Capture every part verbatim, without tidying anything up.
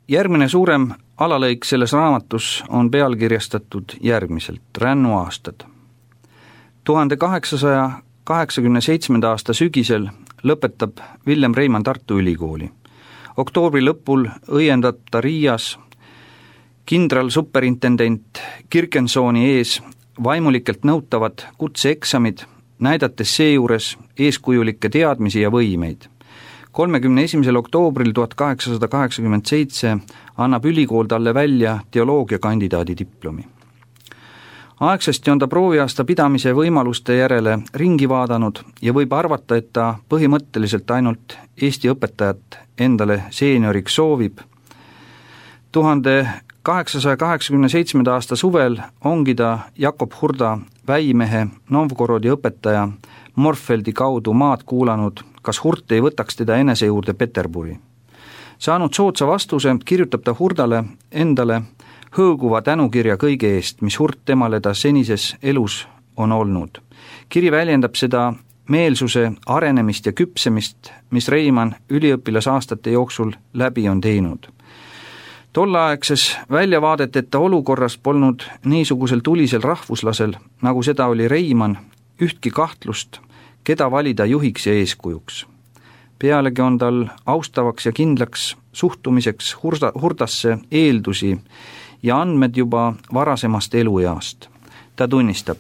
Järgmine suurem alalõik selles raamatus on pealkirjastatud järgmiselt: Rännuaastad. tuhande kaheksasaja kaheksakümne seitsmenda aasta sügisel lõpetab Villem Reimann Tartu Ülikooli. Oktoobri lõpul õiendab ta Riias kindral superintendent Kirkensooni ees vaimulikelt nõutavad kutseeksamid, näidates seejuures eeskujulikke teadmisi ja võimeid. kolmekümne esimesel oktoobril tuhat kaheksasada kaheksakümmend seitse annab ülikool talle välja teoloogia kandidaadi diplomi. Aegsasti on ta prooviaasta pidamise võimaluste järele ringi vaadanud ja võib arvata, et ta põhimõtteliselt ainult Eesti õpetajat endale seenioriks soovib. tuhande kaheksasaja kaheksakümne seitsmenda aasta suvel ongi ta Jakob Hurda väimehe Novgorodi õpetaja Morfeldi kaudu maad kuulanud, kas Hurt ei võtaks teda enese juurde Peterburi. Saanud soodsa vastuse, kirjutab ta Hurdale endale hõõguva tänukirja kõige eest, mis Hurt temale ta senises elus on olnud. Kiri väljendab seda meelsuse arenemist ja küpsemist, mis Reimann üliõpilasaastate jooksul läbi on teinud. Tolleaegses väljavaadeteta olukorras polnud niisugusel tulisel rahvuslasel, nagu seda oli Reimann, ühtki kahtlust, keda valida juhiks ja eeskujuks. Pealegi on tal austavaks ja kindlaks suhtumiseks hurda, hurdasse eeldusi ja andmed juba varasemast elueast. Ta tunnistab: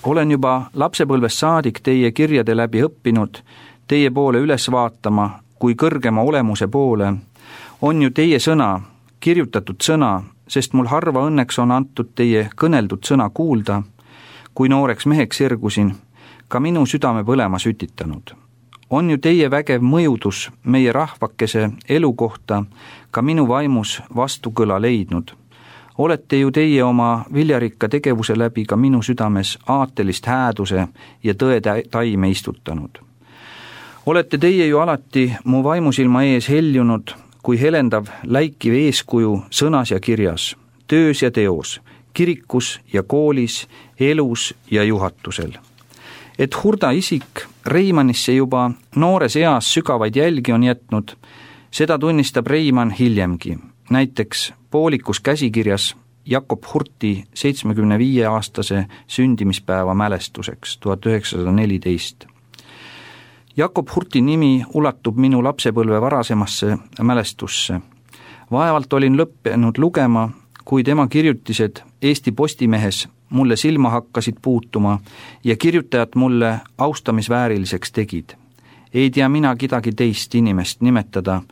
olen juba lapsepõlvest saadik teie kirjade läbi õppinud teie poole üles vaatama kui kõrgema olemuse poole. On ju teie sõna, kirjutatud sõna, sest mul harva õnneks on antud teie kõneldud sõna kuulda, kui nooreks meheks ergusin, ka minu südame põlema sütitanud. On ju teie vägev mõjudus meie rahvakese elu kohta ka minu vaimus vastukõla leidnud. Olete ju teie oma viljarikka tegevuse läbi ka minu südames aatelist hääduse ja tõe taime istutanud. Olete teie ju alati mu vaimusilma ees heljunud kui helendav läikiv eeskuju sõnas ja kirjas, töös ja teos, kirikus ja koolis, elus ja juhatusel. Et Hurda isik Reimannisse juba noores eas sügavaid jälgi on jätnud, seda tunnistab Reimann hiljemgi, näiteks poolikus käsikirjas Jakob Hurti seitsmekümne viie aastase sündimispäeva mälestuseks tuhat üheksasada neliteist. Jakob Hurti nimi ulatub minu lapsepõlve varasemasse mälestusse. Vaevalt olin lõppenud lugema, kui tema kirjutised Eesti Postimehes mulle silma hakkasid puutuma ja kirjutajad mulle austamisvääriliseks tegid. Ei tea mina kedagi teist inimest nimetada,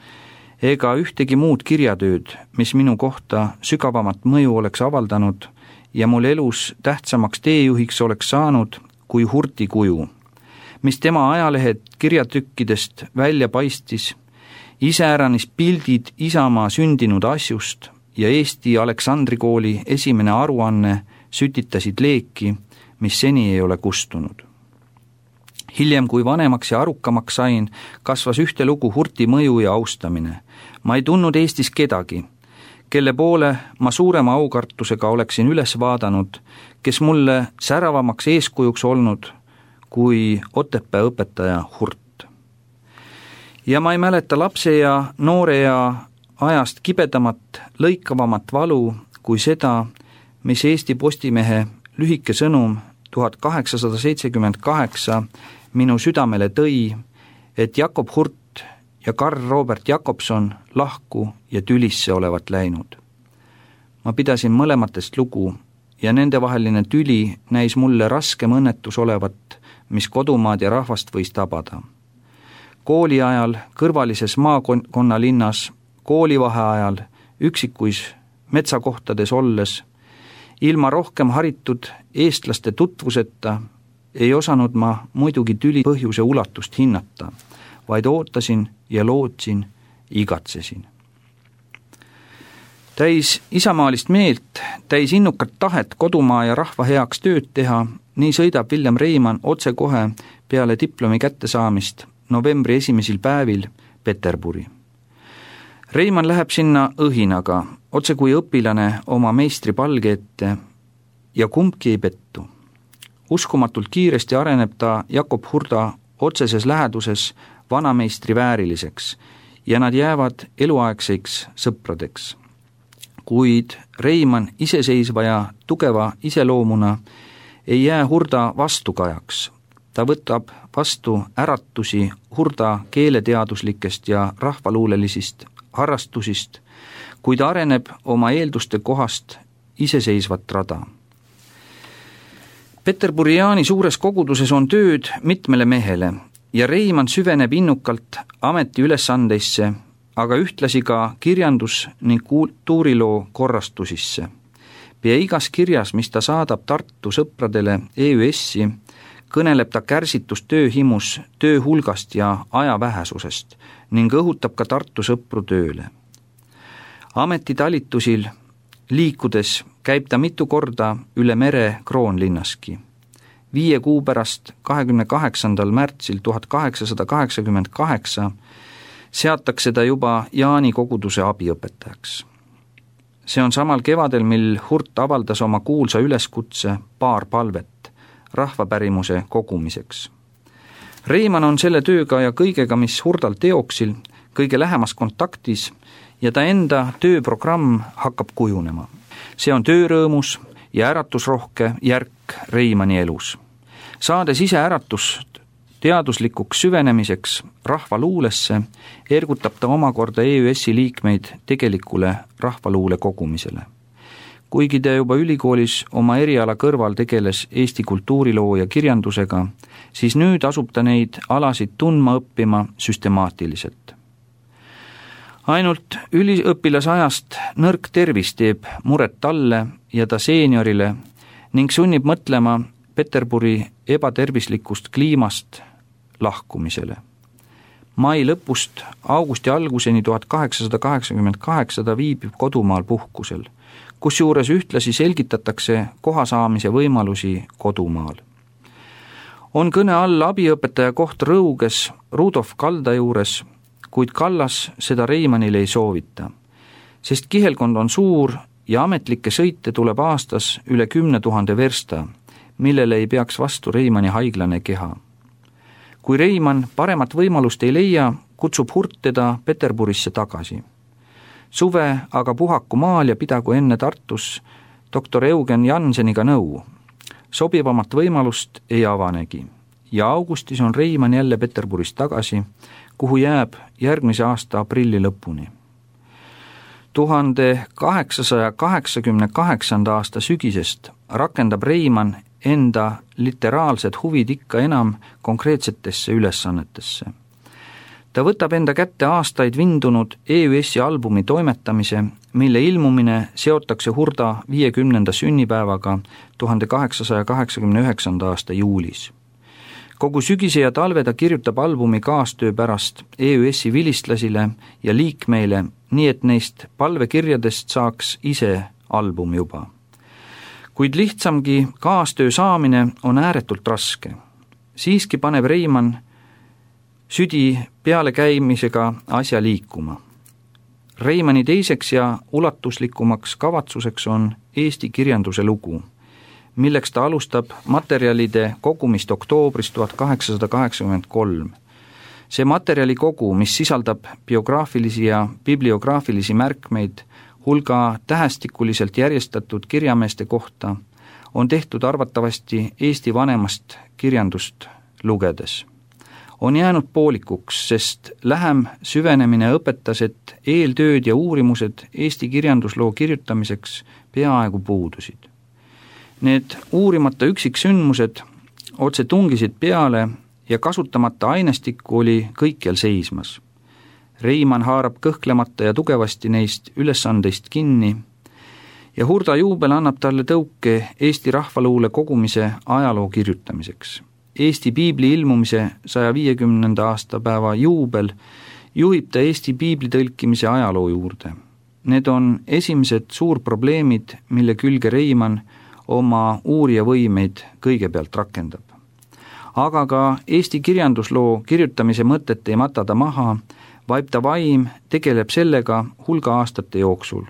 ega ühtegi muud kirjatööd, mis minu kohta sügavamat mõju oleks avaldanud ja mul elus tähtsamaks teejuhiks oleks saanud kui Hurti kuju, mis tema ajalehed kirjatükkidest välja paistis, iseäranis pildid Isamaa sündinud asjust ja Eesti Aleksandri kooli esimene aruanne sütitasid leeki, mis seni ei ole kustunud. Hiljem, kui vanemaks ja arukamaks sain, kasvas ühte lugu Hurti mõju ja austamine. Ma ei tundnud Eestis kedagi, kelle poole ma suurema aukartusega oleksin üles vaadanud, kes mulle säravamaks eeskujuks olnud kui Otepää õpetaja Hurt. Ja ma ei mäleta lapse ja noore ja ajast kibedamat, lõikavamat valu kui seda, mis Eesti Postimehe lühike sõnum tuhat kaheksasada seitsekümmend kaheksa minu südamele tõi, et Jakob Hurt ja Karl Robert Jakobson lahku ja tülisse olevat läinud. Ma pidasin mõlematest lugu ja nendevaheline tüli näis mulle raskem õnnetus olevat, mis kodumaad ja rahvast võis tabada. Kooli ajal kõrvalises maakonna linnas, koolivaheajal, üksikuis metsakohtades olles, ilma rohkem haritud eestlaste tutvuseta ei osanud ma muidugi tüli põhjuse ulatust hinnata, vaid ootasin ja lootsin, igatsesin. Täis isamaalist meelt, täis innukat tahet kodumaa ja rahva heaks tööd teha, nii sõidab Villem Reimann otse kohe peale diplomi kättesaamist novembri esimesel päevil Peterburi. Reimann läheb sinna õhinaga, otse kui õpilane oma meistri palge ette ja kumbki ei pettu. Uskumatult kiiresti areneb ta Jakob Hurda otseses läheduses vanameistri vääriliseks ja nad jäävad eluaegseks sõpradeks. Kuid Reimann iseseisva ja tugeva iseloomuna ei jää Hurda vastukajaks. Ta võtab vastu äratusi Hurda keeleteaduslikest ja rahvaluulelisist harrastusist, kuid areneb oma eelduste kohast iseseisvat rada. Peterburiaani suures koguduses on tööd mitmele mehele ja Reimann süveneb innukalt ameti ülesandeisse, aga ühtlasi ka kirjandus- ning kultuuriloo korrastusisse. Pea igas kirjas, mis ta saadab Tartu sõpradele E Ü S-i, kõneleb ta kärsitust tööhimus, töö hulgast ja aja vähesusest ning õhutab ka Tartu sõpru tööle. Ametitalitlusil liikudes käib ta mitu korda üle mere Kroonlinnaski. Viie kuu pärast, kahekümne kaheksandal märtsil tuhat kaheksasada kaheksakümmend kaheksa, seatakse ta juba Jaani koguduse abiõpetajaks. See on samal kevadel, mil Hurt avaldas oma kuulsa üleskutse paar palvet rahvapärimuse kogumiseks. Reimann on selle tööga ja kõigega, mis Hurdal teoksil, kõige lähemas kontaktis ja ta enda tööprogramm hakkab kujunema. See on töörõõmus ja äratusrohke järk Reimanni elus. Saades ise äratust teaduslikuks süvenemiseks rahvaluulesse, ergutab ta omakorda E Ü S-i liikmeid tegelikule rahvaluule kogumisele. Kuigi ta juba ülikoolis oma eriala kõrval tegeles Eesti kultuuriloo ja kirjandusega, siis nüüd asub ta neid alasid tundma õppima süstemaatiliselt. Ainult üliõpilasajast nõrk tervis teeb muret talle ja ta seeniorile ning sunnib mõtlema Peterburi ebatervislikust kliimast lahkumisele. Mai lõpust augusti alguseni tuhat kaheksasada kaheksakümmend kaheksa ta viibib kodumaal puhkusel, kusjuures ühtlasi selgitatakse koha saamise võimalusi kodumaal. On kõne all abiõpetaja koht Rõuges Rudolf Kalda juures, kuid Kallas seda Reimannile ei soovita, sest kihelkond on suur ja ametlikke sõite tuleb aastas üle kümne tuhande versta, millele ei peaks vastu Reimanni haiglane keha. Kui Reimann paremat võimalust ei leia, kutsub Hurt teda Peterburisse tagasi. Suve aga puhaku maal ja pidagu enne Tartus doktor Eugen Janseniga nõu. Sobivamat võimalust ei avanegi ja augustis on Reimann jälle Peterburis tagasi, kuhu jääb järgmise aasta aprilli lõpuni. tuhande kaheksasaja kaheksakümne kaheksanda aasta sügisest rakendab Reimann enda literaalsed huvid ikka enam konkreetsetesse ülesannetesse. Ta võtab enda kätte aastaid vindunud E Ü S-i albumi toimetamise, mille ilmumine seotakse Hurda viiekümnenda sünnipäevaga tuhande kaheksasaja kaheksakümne üheksanda aasta juulis. Kogu sügise ja talve ta kirjutab albumi kaastöö pärast E Ü S-i vilistlasile ja liikmeile, nii et neist palvekirjadest saaks ise album juba. Kuid lihtsamgi kaastöö saamine on ääretult raske. Siiski paneb Reimann südi peale käimisega asja liikuma. Reimanni teiseks ja ulatuslikumaks kavatsuseks on Eesti kirjanduse lugu, milleks ta alustab materjalide kogumist oktoobris tuhat kaheksasada kaheksakümmend kolm. See materjali kogu, mis sisaldab biograafilisi ja bibliograafilisi märkmeid hulga tähestikuliselt järjestatud kirjameeste kohta, on tehtud arvatavasti Eesti vanemast kirjandust lugedes. On jäänud poolikuks, sest lähem süvenemine õpetas, et eeltööd ja uurimused Eesti kirjandusloo kirjutamiseks peaaegu puudusid. Need uurimata üksiksündmused otse tungisid peale ja kasutamata ainestikku oli kõikjal seismas. Reimann haarab kõhklemata ja tugevasti neist ülesandeist kinni ja Hurda juubel annab talle tõuke Eesti rahvaluule kogumise ajaloo kirjutamiseks. Eesti piibli ilmumise saja viiekümnenda aastapäeva juubel juhib ta Eesti piibli tõlkimise ajaloo juurde. Need on esimesed suurprobleemid, mille külge Reimann oma uurija võimeid kõigepealt rakendab. Aga ka Eesti kirjandusloo kirjutamise mõtet ei mata ta maha, vaid ta vaim tegeleb sellega hulga aastate jooksul,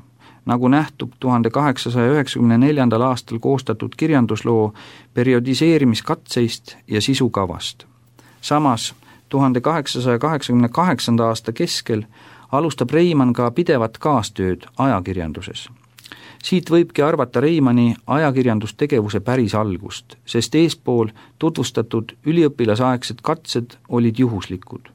nagu nähtub tuhande kaheksasaja üheksakümne neljandal aastal koostatud kirjandusloo periodiseerimiskatseist ja sisukavast. Samas tuhande kaheksasaja kaheksakümne kaheksanda aasta keskel alustab Reimann ka pidevat kaastööd ajakirjanduses. Siit võibki arvata Reimanni ajakirjandustegevuse päris algust, sest eespool tutvustatud üliõpilasaegsed katsed olid juhuslikud.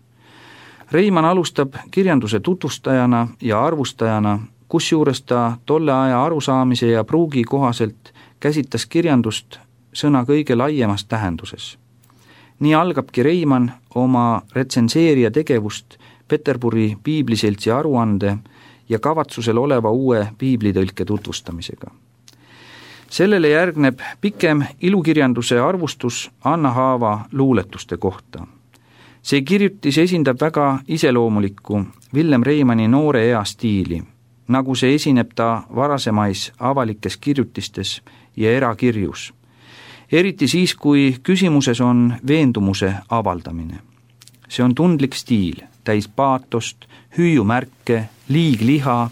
Reimann alustab kirjanduse tutvustajana ja arvustajana, kusjuures ta tolle aja arusaamise ja pruugi kohaselt käsitles kirjandust sõna kõige laiemas tähenduses. Nii algabki Reimann oma retsenseerija tegevust Peterburi piibliseltsi aruande ja kavatsusel oleva uue piiblitõlke tutvustamisega. Sellele järgneb pikem ilukirjanduse arvustus Anna Haava luuletuste kohta. See kirjutis esindab väga iseloomulikku Villem Reimanni noore ea stiili, nagu see esineb ta varasemais avalikes kirjutistes ja erakirjus. Eriti siis, kui küsimuses on veendumuse avaldamine. See on tundlik stiil, täis paatost, hüüumärke, liigliha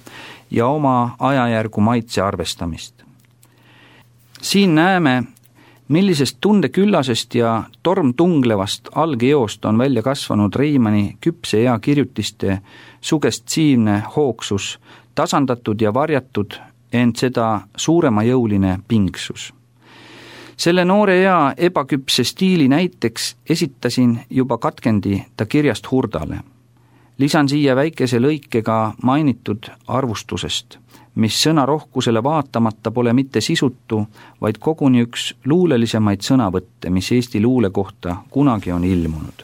ja oma ajajärgu maitse arvestamist. Siin näeme, millisest tundeküllasest ja tormtunglevast algeoost on välja kasvanud Reimanni küpse ea kirjutiste sugestiivne hoogsus, tasandatud ja varjatud, ent seda suuremajõuline pingsus. Selle noore ea ebaküpse stiili näiteks esitasin juba katkendi ta kirjast Hurdale. Lisan siia väikese lõikega mainitud arvustusest, mis sõnarohkusele vaatamata pole mitte sisutu, vaid koguni üks luulelisemaid sõnavõtte, mis Eesti luule kohta kunagi on ilmunud.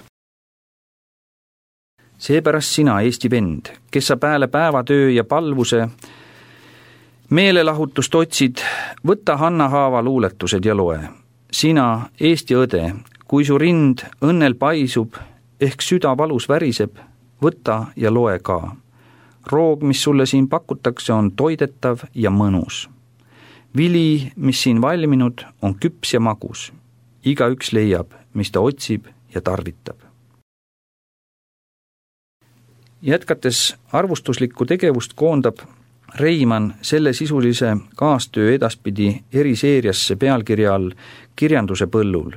Seepärast sina, Eesti vend, kes sa pääle päevatöö ja palvuse meelelahutust otsid, võta Hanna Haava luuletused ja loe. Sina, Eesti õde, kui su rind õnnel paisub, ehk süda valus väriseb, võta ja loe ka. Roog, mis sulle siin pakutakse, on toidetav ja mõnus. Vili, mis siin valminud, on küps ja magus. Iga üks leiab, mis ta otsib ja tarvitab. Jätkates arvustuslikku tegevust koondab Reimann selle sisulise kaastöö edaspidi eriseeriasse pealkirja all Kirjanduse põllul.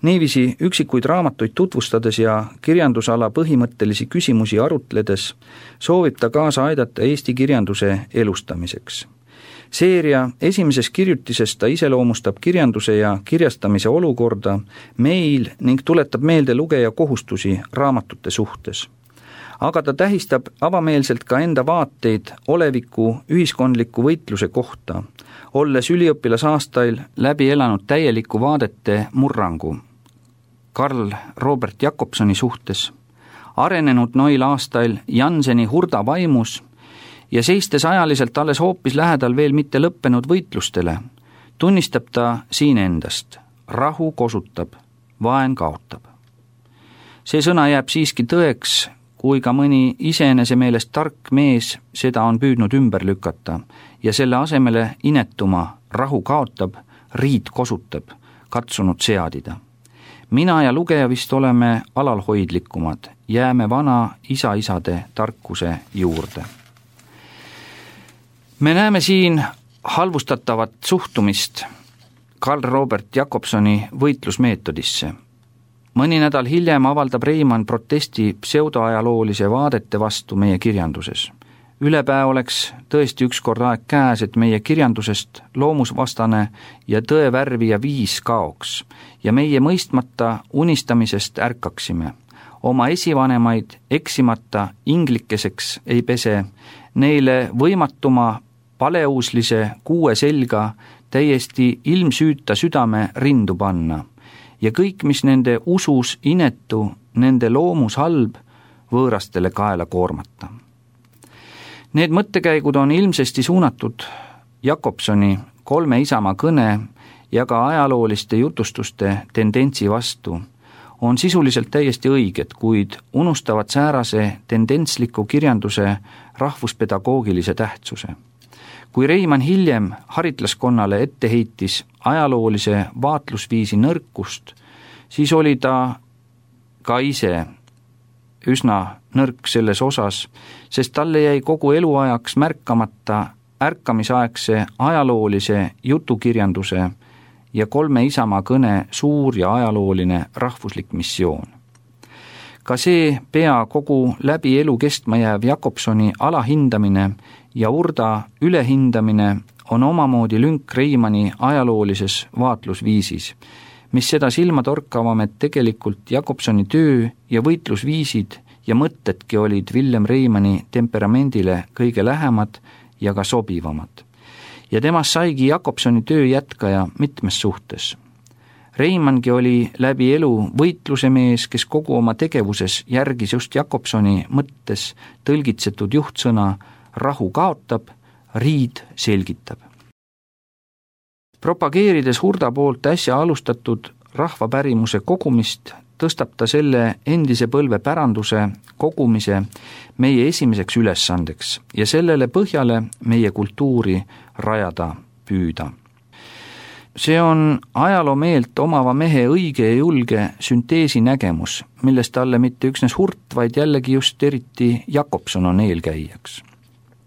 Niiviisi üksikuid raamatuid tutvustades ja kirjandusala põhimõttelisi küsimusi arutledes soovib ta kaasa aidata Eesti kirjanduse elustamiseks. Seeria esimeses kirjutises ta iseloomustab kirjanduse ja kirjastamise olukorda meil ning tuletab meelde lugeja kohustusi raamatute suhtes. Aga ta tähistab avameelselt ka enda vaateid oleviku ühiskondliku võitluse kohta, olles üliõpilasaastail läbi elanud täieliku vaadete murrangu Karl Robert Jakobsoni suhtes, arenenud noil aastail Janseni Hurda vaimus ja seistes ajaliselt alles hoopis lähedal veel mitte lõppenud võitlustele, tunnistab ta siin endast, rahu kosutab, vaen kaotab. See sõna jääb siiski tõeks, kui ka mõni iseenese meelest tark mees seda on püüdnud ümber lükata ja selle asemele inetuma rahu kaotab, riid kosutab, katsunud seadida. Mina ja lugeja vist oleme alalhoidlikumad, jääme vana isa-isade tarkuse juurde. Me näeme siin halvustatavat suhtumist Karl Robert Jakobsoni võitlusmeetodisse. Mõni nädal hiljem avaldab Reimann protesti pseudoajaloolise vaadete vastu meie kirjanduses. Ülepää oleks tõesti ükskord aeg käes, et meie kirjandusest loomusvastane ja tõevärvi ja viis kaoks ja meie mõistmata unistamisest ärkaksime. Oma esivanemaid eksimata inglikeseks ei pese, neile võimatuma paleuslise kuue selga täiesti ilmsüüta südame rindu panna ja kõik, mis nende usus inetu, nende loomus halb, võõrastele kaela koormata. Need mõttekäigud on ilmsesti suunatud Jakobsoni kolme isamaa kõne ja ka ajalooliste jutustuste tendentsi vastu, on sisuliselt täiesti õiged, kuid unustavad säärase tendentsliku kirjanduse rahvuspedagoogilise tähtsuse. Kui Reimann hiljem haritlaskonnale ette heitis ajaloolise vaatlusviisi nõrkust, siis oli ta ka ise üsna nõrk selles osas, sest talle jäi kogu eluajaks märkamata ärkamisaegse ajaloolise jutukirjanduse ja kolme isamaa kõne suur ja ajalooline rahvuslik missioon. Ka see pea kogu läbi elu kestma jääv Jakobsoni alahindamine ja Hurda ülehindamine on omamoodi lünk Reimanni ajaloolises vaatlusviisis, mis seda silmatorkavam, et tegelikult Jakobsoni töö ja võitlusviisid ja mõtedki olid Villem Reimanni temperamendile kõige lähemad ja ka sobivamad. Ja temast saigi Jakobsoni töö jätkaja mitmes suhtes. Reimanngi oli läbi elu võitluse mees, kes kogu oma tegevuses järgis just Jakobsoni mõttes tõlgitsetud juhtsõna rahu kaotab, riid selgitab. Propageerides Hurda poolt äsja alustatud rahvapärimuse kogumist, tõstab ta selle endise põlve päranduse kogumise meie esimeseks ülesandeks ja sellele põhjale meie kultuuri rajada püüda. See on ajaloomeelt omava mehe õige ja julge sünteesi nägemus, millest talle mitte üksnes Hurt, vaid jällegi just eriti Jakobson on eelkäijaks.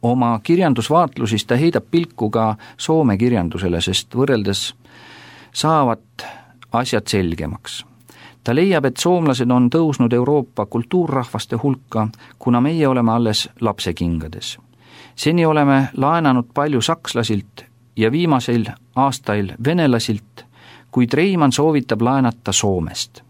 Oma kirjandusvaatlusis ta heidab pilku ka Soome kirjandusele, sest võrreldes saavad asjad selgemaks. Ta leiab, et soomlased on tõusnud Euroopa kultuurrahvaste hulka, kuna meie oleme alles lapsekingades. Seni oleme laenanud palju sakslasilt ja viimasel aastail venelasilt, kuid Reimann soovitab laenata Soomest.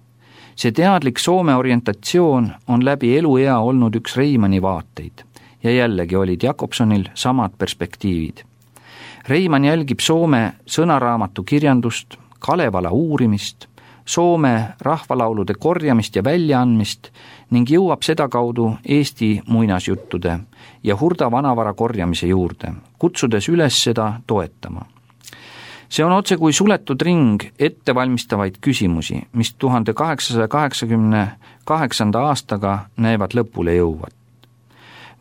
See teadlik Soome orientatsioon on läbi eluea olnud üks Reimanni vaateid ja jällegi olid Jakobsonil samad perspektiivid. Reimann jälgib Soome sõnaraamatu kirjandust, Kalevala uurimist, Soome rahvalaulude korjamist ja väljaandmist ning jõuab seda kaudu Eesti muinasjuttude ja Hurda vanavara korjamise juurde, kutsudes üles seda toetama. See on otse kui suletud ring ettevalmistavaid küsimusi, mis tuhande kaheksasaja kaheksakümne kaheksanda aastaga näevad lõpule jõuvat.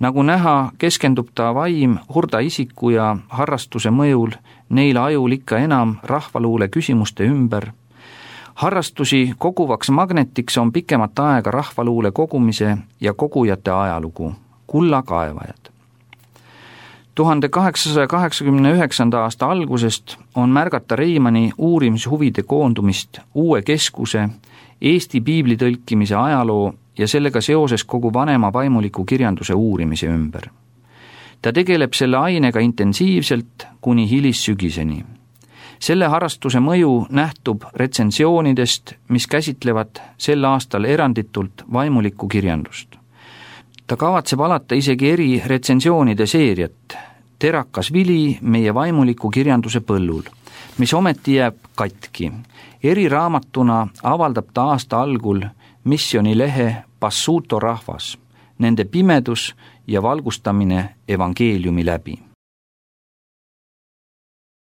Nagu näha, keskendub ta vaim Hurda isiku ja harrastuse mõjul neile ajul ikka enam rahvaluule küsimuste ümber. Harrastusi koguvaks magnetiks on pikemat aega rahvaluule kogumise ja kogujate ajalugu, kullakaevajad. tuhande kaheksasaja kaheksakümne üheksanda aasta algusest on märgata Reimanni uurimishuvide koondumist uue keskuse, Eesti piibli tõlkimise ajaloo ja sellega seoses kogu vanema vaimuliku kirjanduse uurimise ümber. Ta tegeleb selle ainega intensiivselt kuni hilissügiseni. Selle harrastuse mõju nähtub retsensioonidest, mis käsitlevad sel aastal eranditult vaimulikku kirjandust. Ta kavatseb alata isegi eri retsensioonide seeriat, Terakas vili meie vaimuliku kirjanduse põllul, mis ometi jääb katki. Eri raamatuna avaldab ta aasta algul missionilehe Passuto rahvas, nende pimedus ja valgustamine evangeeliumi läbi.